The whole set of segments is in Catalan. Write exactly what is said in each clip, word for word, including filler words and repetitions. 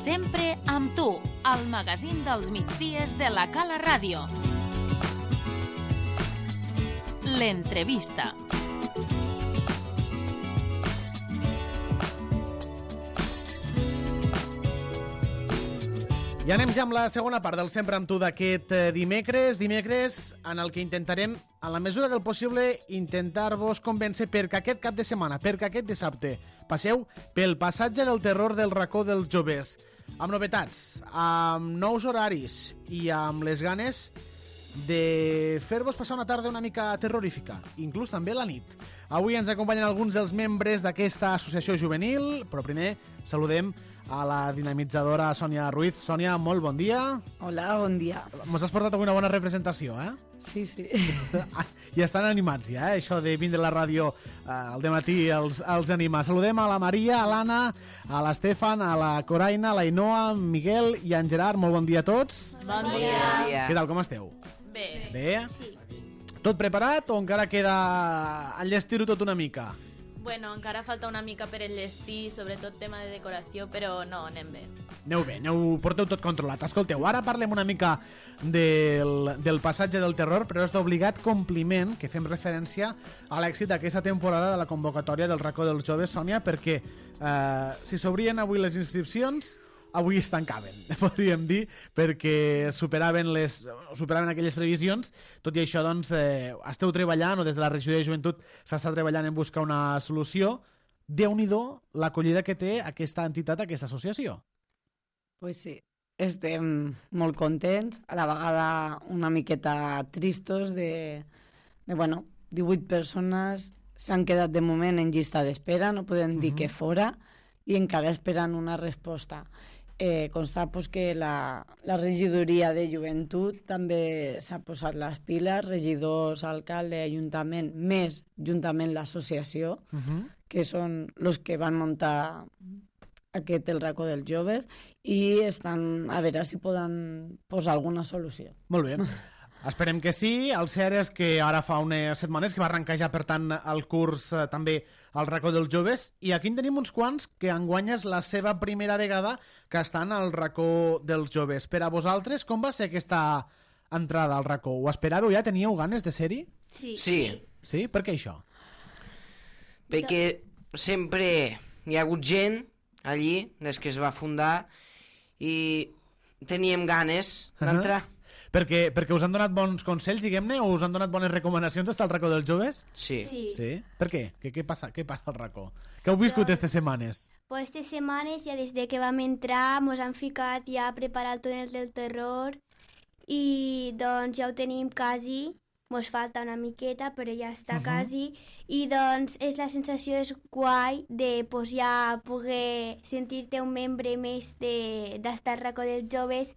Sempre amb tu, al magazín dels migdies de la Cala Ràdio. L'entrevista. I anem ja amb la segona part del Sempre amb tu d'aquest dimecres, dimecres en el que intentarem, en la mesura del possible, intentar-vos convèncer perquè aquest cap de setmana, perquè aquest dissabte, passeu pel passatge del terror del racó dels joves, amb novetats, amb nous horaris i amb les ganes de fer-vos passar una tarda una mica terrorífica, inclús també la nit. Avui ens acompanyen alguns dels membres d'aquesta associació juvenil, però primer saludem a la dinamitzadora Sònia Ruiz. Sònia, molt bon dia. Hola, bon dia. Mos has portat avui una bona representació, eh? Sí, sí. I estan animats ja, eh? Això de vindre a la ràdio eh, al dematí els, els anima. Saludem a la Maria, a l'Anna, a l'Estefan, a la Coraina, a la Inoa, a Miguel i a en Gerard. Molt bon dia a tots. Bon dia. Què tal, com esteu? Bé. Bé? Sí. Tot preparat o encara queda enllestir-ho tot una mica? Bueno, encara falta una mica per enllestir, sobretot tema de decoració, però no, anem bé. Aneu bé, aneu, porteu tot controlat. Escolteu, ara parlem una mica del, del passatge del terror, però és d'obligat compliment que fem referència a l'èxit d'aquesta temporada de la convocatòria del racó dels joves, Sònia, perquè eh, si s'obrien avui les inscripcions, avui es tancaven, podríem dir, perquè superaven, les, superaven aquelles previsions. Tot i això, doncs, eh, esteu treballant, o des de la regió de joventut s'està treballant en buscar una solució. Déu-n'hi-do l'acollida que té aquesta entitat, aquesta associació. Pues sí, estem molt contents, a la vegada una miqueta tristos de, de bueno, divuit persones s'han quedat de moment en llista d'espera, no podem dir uh-huh. que fora, i encara esperant una resposta. Eh, constar pues, que la, la regidoria de joventut també s'ha posat les piles, regidors, alcalde, ajuntament, més juntament l'associació, uh-huh. que són els que van muntar aquest el racó dels joves, i estan a veure si poden posar alguna solució. Molt bé. Esperem que sí. El cert és que ara fa unes setmanes que va arrencar ja, per tant, el curs eh, també al racó dels joves, i aquí en tenim uns quants que enguany és la seva primera vegada que estan al racó dels joves. Per a vosaltres, com va ser aquesta entrada al racó? Ho esperàveu ja? Teníeu ganes de ser-hi? Sí. Sí? Sí? Per què això? Perquè sempre hi ha hagut gent allí, des que es va fundar, i teníem ganes d'entrar. Uh-huh. Perquè, perquè us han donat bons consells, diguem-ne, o us han donat bones recomanacions d'estar al racó dels joves? Sí. Sí. Sí? Per què? Què, què passa? Què passa al racó? Què heu viscut aquestes setmanes? Pues estas setmanes, ja des de que vam entrar, mos han ficat ja a preparar el túnel del terror, i doncs ja ho tenim quasi, mos falta una miqueta, però ja està uh-huh. quasi, i doncs és la sensació és guai de pues, ja poder sentir-te un membre més de, d'estar al racó dels joves,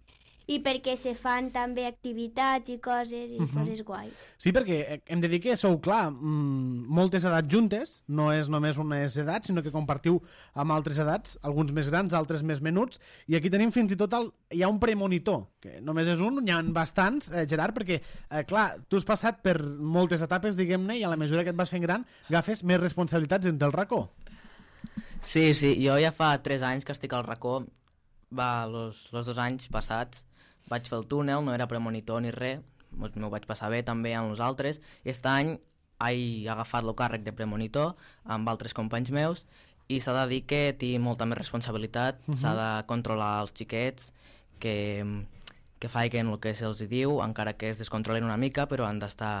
i perquè se fan també activitats i coses, i uh-huh. coses guai. Sí, perquè hem de dir que sou, clar, mmm, moltes edats juntes, no és només unes edats, sinó que compartiu amb altres edats, alguns més grans, altres més menuts, i aquí tenim fins i tot, el, hi ha un premonitor, que només és un, n'hi ha bastants, eh, Gerard, perquè, eh, clar, tu has passat per moltes etapes, diguem-ne, i a la mesura que et vas fent gran, agafes més responsabilitats entre el racó. Sí, sí, jo ja fa tres anys que estic al racó, va, los, los dos anys passats, vaig fer el túnel, no era premonitor ni res, m'ho vaig passar bé també amb els altres, i aquest any he agafat el càrrec de premonitor amb altres companys meus, i s'ha de dir que tinc molta més responsabilitat, uh-huh. s'ha de controlar els xiquets, que, que facin el que se'ls diu, encara que es descontrolen una mica, però han d'estar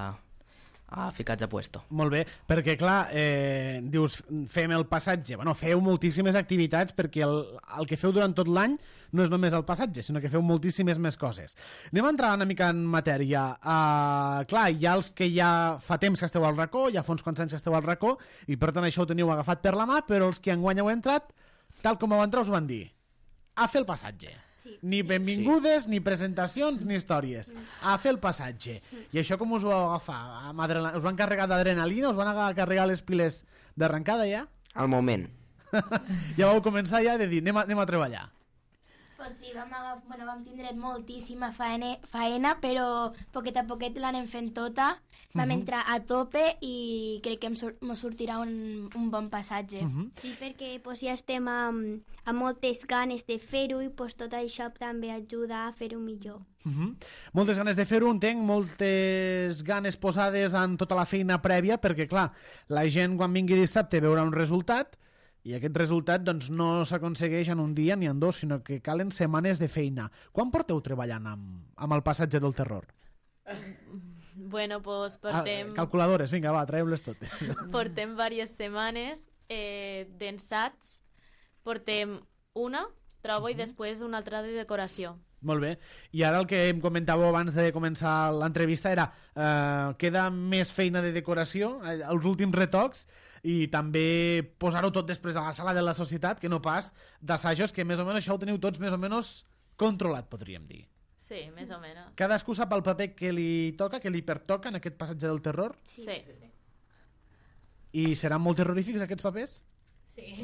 ah, ficats a puesto. Molt bé, perquè clar, eh, dius, fem el passatge, bueno, feu moltíssimes activitats, perquè el, el que feu durant tot l'any no és només el passatge, sinó que feu moltíssimes més coses. Anem a entrar una mica en matèria. Uh, clar, hi ha els que ja fa temps que esteu al racó, ja fa uns quants anys que esteu al racó, i per tant això ho teniu agafat per la mà, però els que enguany heu entrat, tal com heu entrat us van dir, a fer el passatge. Sí. Ni benvingudes, sí. ni presentacions, ni històries. A fer el passatge. I això com us ho vau agafar? Us van carregar d'adrenalina? Us van carregar les piles d'arrencada ja? Al moment. Ja vau començar ja de dir, anem a, anem a treballar. Pues sí, vam, agaf... bueno, vam tindre moltíssima faena, faena, però poquet a poquet l'anem fent tota. Vam uh -huh. entrar a tope i crec que em sur mos sortirà un, un bon passatge. Uh -huh. Sí, perquè pues, ja estem amb, amb moltes ganes de fer-ho i pues, tot això també ajuda a fer-ho millor. Uh -huh. Moltes ganes de fer-ho, entenc, moltes ganes posades en tota la feina prèvia, perquè, clar, la gent quan vingui dissabte veurà un resultat i aquest resultat doncs, no s'aconsegueix en un dia ni en dos, sinó que calen setmanes de feina. Quan porteu treballant amb, amb el passatge del terror? Bueno, pues portem... Ah, calculadores, vinga, va, traeu-les totes. Portem diverses setmanes eh, d'ensats. Portem una, trobo, uh-huh. i després una altra de decoració. Molt bé. I ara el que em comentàveu abans de començar l'entrevista era eh, queda més feina de decoració, eh, els últims retocs, i també posar-ho tot després a la sala de la societat, que no pas d'assajos, que més o menys això ho teniu tots més o menys controlat, podríem dir. Sí, més o menys. Cadascú sap el paper que li toca, que li pertoca en aquest passatge del terror? Sí. sí. I seran molt terrorífics aquests papers? Sí.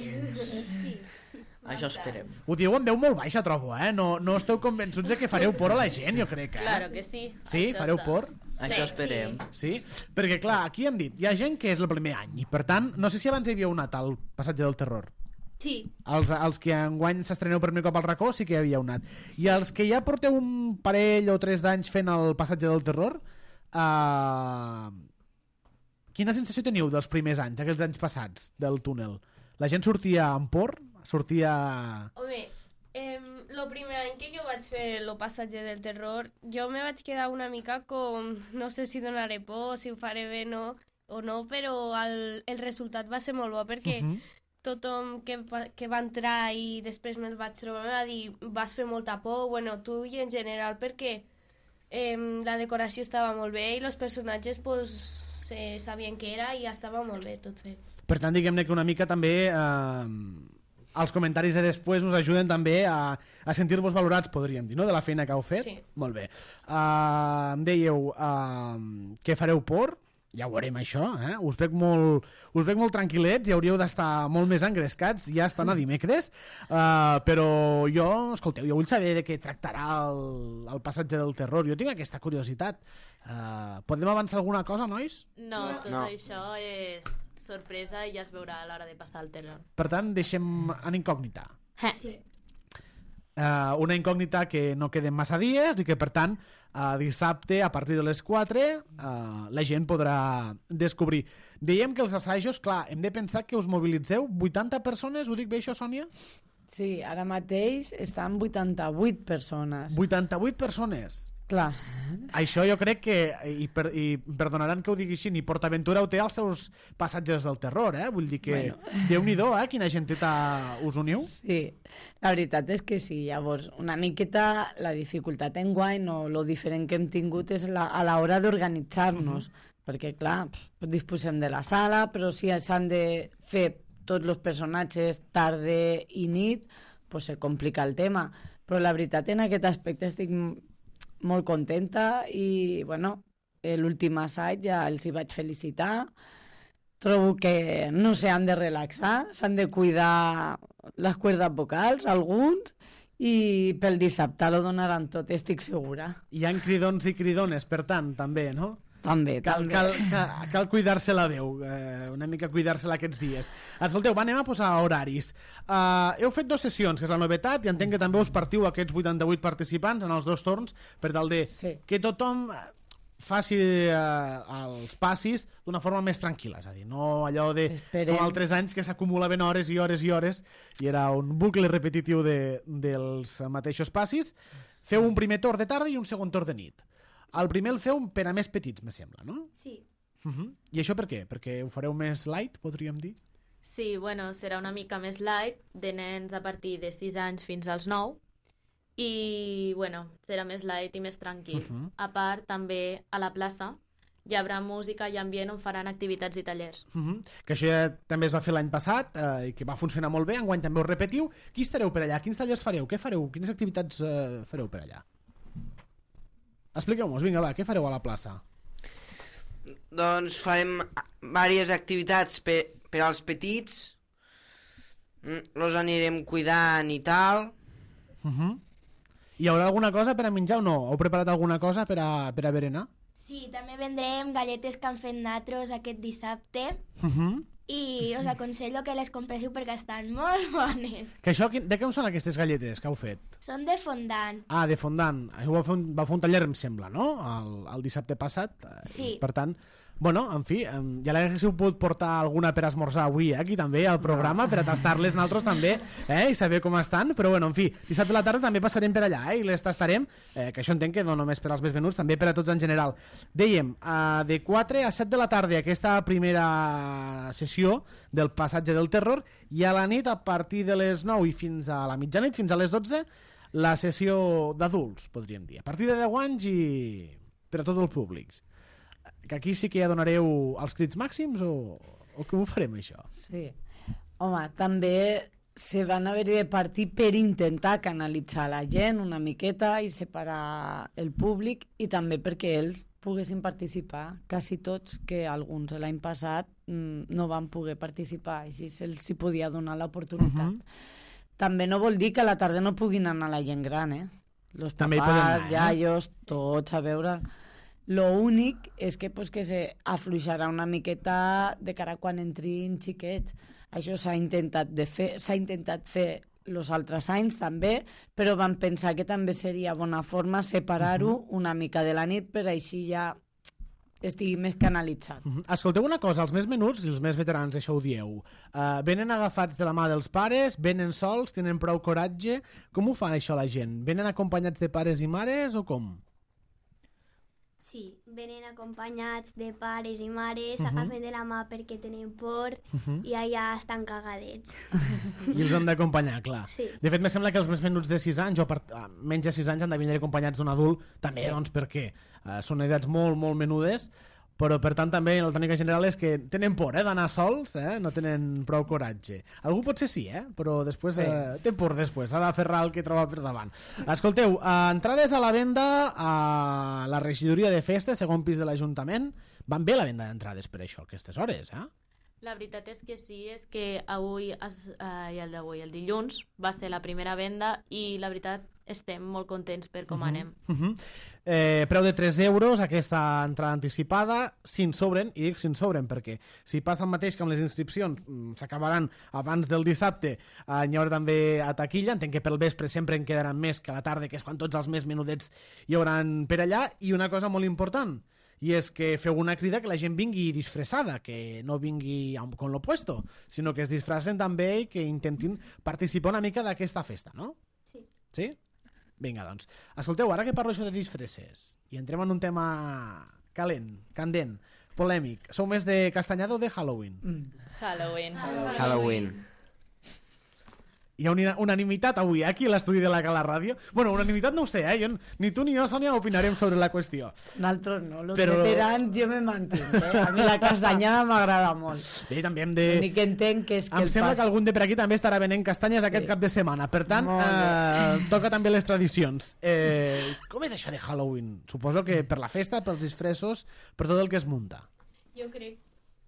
sí. Això esperem. Ho diu en veu molt baixa, trobo, eh? No, no esteu convençuts de que fareu por a la gent, jo crec, eh? Claro que sí. Sí? Això Fareu està. por? Sí, això esperem. Sí? Perquè, clar, aquí hem dit, hi ha gent que és el primer any, i per tant, no sé si abans hi havíeu anat al passatge del terror. Sí. Els, els que enguany s'estreneu per primer cop al racó sí que hi havíeu anat. Sí. I els que ja porteu un parell o tres d'anys fent el passatge del terror, eh... quina sensació teniu dels primers anys, aquells anys passats del túnel? La gent sortia amb por? Sortia... Home, eh, lo primer any que jo vaig fer el passatge del terror, jo me vaig quedar una mica com, no sé si donaré por, si ho faré bé no, o no, però el, el resultat va ser molt bo perquè uh -huh. tothom que, que va entrar i després me'l vaig trobar me va dir vas fer molta por, bueno, tu i en general perquè eh, la decoració estava molt bé i els personatges pues, se sabien què era i ja estava molt bé tot fet. Per tant, diguem-ne que una mica també... Eh... els comentaris de després us ajuden també a, a sentir-vos valorats, podríem dir, no?, de la feina que heu fet. Sí. Molt bé. Uh, em dèieu uh, que fareu por, ja ho veurem això, eh? Us veig molt, us veig molt tranquil·lets i hauríeu d'estar molt més engrescats, ja estan a dimecres, uh, però jo, escolteu, jo vull saber de què tractarà el, el passatge del terror. Jo tinc aquesta curiositat. Uh, podem avançar alguna cosa, nois? No, tot no. això és sorpresa i ja es veurà a l'hora de passar el terror. Per tant, deixem en incògnita. Sí. Uh, una incògnita que no queden massa dies i que, per tant, uh, dissabte, a partir de les quatre, uh, la gent podrà descobrir. Dèiem que els assajos, clar, hem de pensar que us mobilitzeu vuitanta persones, ho dic bé això, Sònia? Sí, ara mateix estan vuitanta-vuit persones. vuitanta-vuit persones. Clar. Això jo crec que, i, per, i perdonaran que ho digui així, ni PortAventura ho té als seus passatges del terror, eh? Vull dir que, bueno. Déu-n'hi-do, eh? Quina genteta us uniu. Sí, la veritat és que sí. Llavors, una miqueta la dificultat enguany o lo diferent que hem tingut és la, a l'hora d'organitzar-nos, uh-huh. perquè, clar, disposem de la sala, però si s'han de fer tots els personatges tarda i nit, pues se complica el tema. Però la veritat, en aquest aspecte estic molt contenta i, bueno, l'últim assaig ja els hi vaig felicitar. Trobo que no s'han de relaxar, s'han de cuidar les cuerdes vocals, alguns, i pel dissabte lo donaran tot, estic segura. Hi ha cridons i cridones, per tant, també, no? També, cal, també. Cal, cal, cal cuidar-se la veu, eh, una mica cuidar-se-la aquests dies. Escolteu, va, anem a posar horaris. Uh, heu fet dues sessions, que és la novetat, i entenc que també us partiu aquests vuitanta-vuit participants en els dos torns per tal de sí. que tothom faci uh, els passis d'una forma més tranquil·la, és a dir, no allò de Esperem. com altres anys que s'acumulaven hores i hores i hores i era un bucle repetitiu de, dels mateixos passis. Feu un primer torn de tarda i un segon torn de nit. El primer el feu per a més petits, me sembla, no? Sí. Uh-huh. I això per què? Perquè ho fareu més light, podríem dir? Sí, bueno, serà una mica més light, de nens a partir de sis anys fins als nou, i, bueno, serà més light i més tranquil. Uh-huh. A part, també a la plaça hi haurà música i ambient on faran activitats i tallers. Uh-huh. Que això ja també es va fer l'any passat eh, i que va funcionar molt bé, enguany també ho repetiu. Qui estareu per allà? Quins tallers fareu? Què fareu? Quines activitats eh, fareu per allà? Expliqueu-nos, vinga, va, què fareu a la plaça? Doncs farem diverses activitats per, per als petits, los anirem cuidant i tal. Uh-huh. Hi haurà alguna cosa per a menjar o no? Heu preparat alguna cosa per a, per a berenar? Sí, també vendrem galletes que han fet natros aquest dissabte Uh -huh. i us aconsello que les compressiu perquè estan molt bones. Que això, quin- de què són aquestes galletes que heu fet? Són de fondant. Ah, de fondant. Això va fer un, va fer un taller, em sembla, no? El, el dissabte passat. Eh, Sí. Per tant, bueno, en fi, em, ja l'haguéssiu pogut portar alguna per esmorzar avui, eh, aquí també, al programa, per a tastar-les nosaltres també, eh, i saber com estan. Però, bueno, en fi, dissabte a la tarda també passarem per allà, eh, i les tastarem, eh, que això entenc que no només per als més venuts, també per a tots en general. Dèiem, eh, de quatre a set de la tarda, aquesta primera sessió del passatge del terror, i a la nit, a partir de les nou i fins a la mitjanit, fins a les dotze, la sessió d'adults, podríem dir. A partir de deu anys i per a tots els públics. Que aquí sí que ja donareu els crits màxims o, o com ho farem, això? Sí. Home, també se van haver de partir per intentar canalitzar la gent una miqueta i separar el públic i també perquè ells poguessin participar, quasi tots, que alguns l'any passat mm, no van poder participar, així se'ls hi podia donar l'oportunitat. Uh-huh. També no vol dir que a la tarda no puguin anar la gent gran, eh? Los També hi papás, poden anar, eh? iaios, tots a veure... Lo únic és que, pues, que se afluixarà una miqueta de cara quan entrin xiquets. Això s'ha intentat de fer, s'ha intentat fer els altres anys també, però vam pensar que també seria bona forma separar-ho uh-huh. una mica de la nit per així ja estigui més canalitzat. Uh -huh. Escolteu una cosa, els més menuts i els més veterans, això ho dieu, uh, venen agafats de la mà dels pares, venen sols, tenen prou coratge, com ho fan això la gent? Venen acompanyats de pares i mares o com? Sí, venen acompanyats de pares i mares, Uh-huh. agafen de la mà perquè tenen por Uh-huh. i allà estan cagadets. I els han d'acompanyar, clar. Sí. De fet, me sembla que els més menuts de sis anys o per, ah, menys de sis anys han de vindre acompanyats d'un adult, també, Sí. doncs, perquè uh, són edats molt, molt menudes, però per tant també la tònica general és que tenen por eh, d'anar sols, eh, no tenen prou coratge. Algú potser sí, eh, però després Sí. eh, té por després, ha d'aferrar el que troba per davant. Escolteu, uh, entrades a la venda a la regidoria de festes, segon pis de l'Ajuntament, van bé la venda d'entrades per això, aquestes hores, eh? La veritat és que sí, és que avui, es, eh, i el d'avui, el dilluns, va ser la primera venda i la veritat estem molt contents per com uh -huh. anem. Uh -huh. eh, preu de tres euros, aquesta entrada anticipada, si en sobren, i dic si en sobren perquè si passa el mateix que amb les inscripcions mm, s'acabaran abans del dissabte, eh, hi haurà també a taquilla, entenc que pel vespre sempre en quedaran més que a la tarda, que és quan tots els més menudets hi hauran per allà, i una cosa molt important, i és que feu una crida que la gent vingui disfressada, que no vingui amb, con lo puesto, sinó que es disfressen també i que intentin participar una mica d'aquesta festa, no? Sí. Sí? Vinga, doncs. Escolteu, ara que parlo això de disfresses, i entrem en un tema calent, candent, polèmic, sou més de castanyada o de Halloween? Mm. Halloween. Halloween. Hi ha una unanimitat avui eh, aquí a l'estudi de la Cala Ràdio. Bueno, unanimitat no ho sé, eh? Jo, ni tu ni jo, Sònia, opinarem sobre la qüestió. Nosaltres no, els Però- Però... veterans jo me mantinc, eh? A mi la castanyada m'agrada molt. Bé, també hem de... L'únic que entenc que és que Em el sembla pas... que algun de per aquí també estarà venent castanyes Sí. aquest cap de setmana. Per tant, Molt eh, toca també les tradicions. Eh, com és això de Halloween? Suposo que per la festa, pels disfressos, per tot el que es munta. Jo crec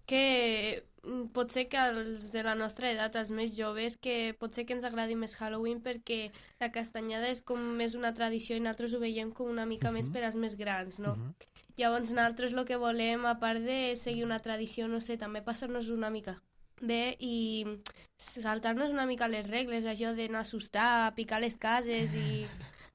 que mm, pot ser que els de la nostra edat, els més joves, que pot ser que ens agradi més Halloween perquè la castanyada és com més una tradició i nosaltres ho veiem com una mica uh -huh. més per als més grans, no? Uh -huh. Llavors nosaltres el que volem, a part de seguir una tradició, no sé, també passar-nos una mica bé i saltar-nos una mica les regles, això d'anar a assustar, picar les cases i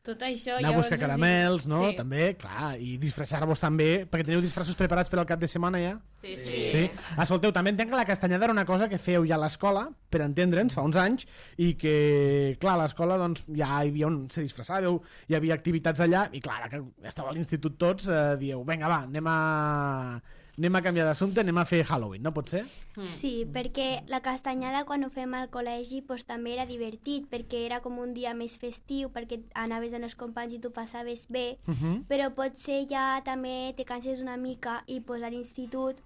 tot això. Anar a buscar ens hi- caramels, no? Sí. També, clar, i disfressar-vos també, perquè teniu disfressos preparats per al cap de setmana ja? Sí, sí. Sí. Escolteu, també entenc que la castanyada era una cosa que fèieu ja a l'escola, per entendre'ns, fa uns anys, i que, clar, a l'escola doncs, ja hi havia on se disfressàveu, hi havia activitats allà, i clar, ara que estava a l'institut tots, eh, dieu, vinga, va, anem a... anem a canviar d'assumpte, anem a fer Halloween, no pot ser? Mm. Sí, perquè la castanyada quan ho fem al col·legi pues, també era divertit, perquè era com un dia més festiu, perquè anaves amb els companys i tu passaves bé, Uh -huh. però potser ja també te canses una mica i pues, a l'institut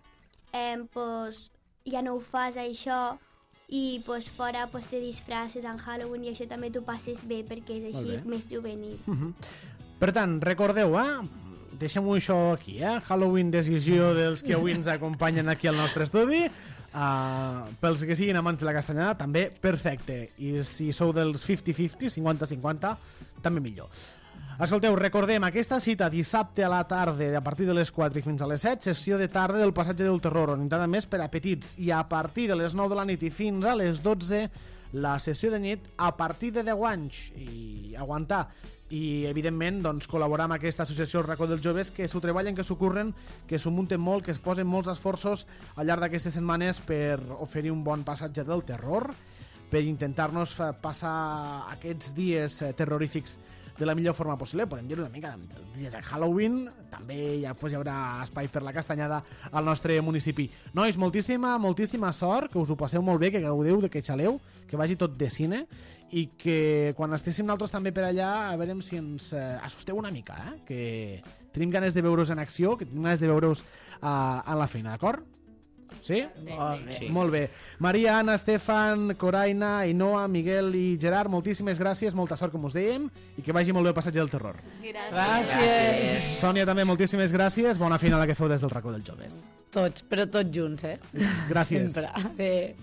eh, pues, ja no ho fas això i pues, fora pues, te disfresses en Halloween i això també t'ho passes bé perquè és així Molt bé. més juvenil. Uh -huh. Per tant, recordeu, eh? Deixem-ho això aquí, eh? Halloween, decisió dels que avui ens acompanyen aquí al nostre estudi. Uh, pels que siguin amants de la castanyada, també perfecte. I si sou dels cinquanta cinquanta, cinquanta cinquanta, també millor. Escolteu, recordem, aquesta cita dissabte a la tarda, a partir de les quatre i fins a les set, sessió de tarda del Passatge del Terror, orientada més per a petits, i a partir de les nou de la nit i fins a les dotze, la sessió de nit a partir de deu anys, i aguantar. I, evidentment, doncs, col·laborar amb aquesta associació El Racó dels Joves, que s'ho treballen, que s'ho curren, que s'ho munten molt, que es posen molts esforços al llarg d'aquestes setmanes per oferir un bon passatge del terror, per intentar-nos passar aquests dies terrorífics de la millor forma possible. Podem dir una mica dels dies de Halloween, també ja, pues, hi haurà espai per la castanyada al nostre municipi. Nois, moltíssima, moltíssima sort, que us ho passeu molt bé, que gaudeu, que xaleu, que vagi tot de cine, i que quan estéssim nosaltres també per allà, a veure si ens eh, assusteu una mica, eh? Que tenim ganes de veure-us en acció, que tenim ganes de veure-us uh, a la feina, d'acord? Sí? Sí, sí. Molt bé. Maria, Anna, Estefan, Coraina, Ainhoa, Miguel i Gerard, moltíssimes gràcies, molta sort, com us dèiem, i que vagi molt bé el passatge del terror. Gràcies. Gràcies. Sònia, també moltíssimes gràcies. Bona feina la que feu des del Racó dels Joves. Tots, però tots junts, eh? Gràcies. Sempre. Adéu.